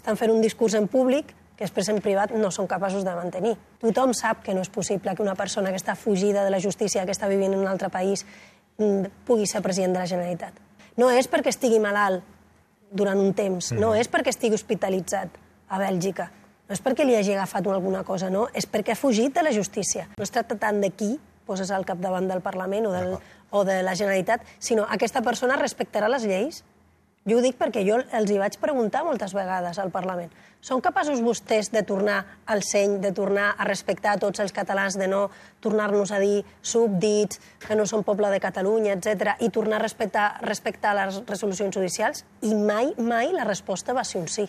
Estan fent un discurs en públic que després en privat no són capaços de mantenir. Tothom sap que no és possible que una persona que està fugida de la justícia, que està vivint en un altre país, pugui ser president de la Generalitat. No és perquè estigui malalt durant un temps, no és perquè estigui hospitalitzat a Bèlgica, no és perquè li hagi agafat alguna cosa, no, és perquè ha fugit de la justícia. No es tracta tant de qui poses al capdavant del Parlament o de la Generalitat, sinó aquesta persona respectarà les lleis. Jo ho dic perquè jo els hi vaig preguntar moltes vegades al Parlament. Són capaços vostès de tornar al seny, de tornar a respectar tots els catalans, de no tornar-nos a dir súbdits, que no són poble de Catalunya, etc., i tornar a respectar les resolucions judicials? I mai la resposta va ser un sí.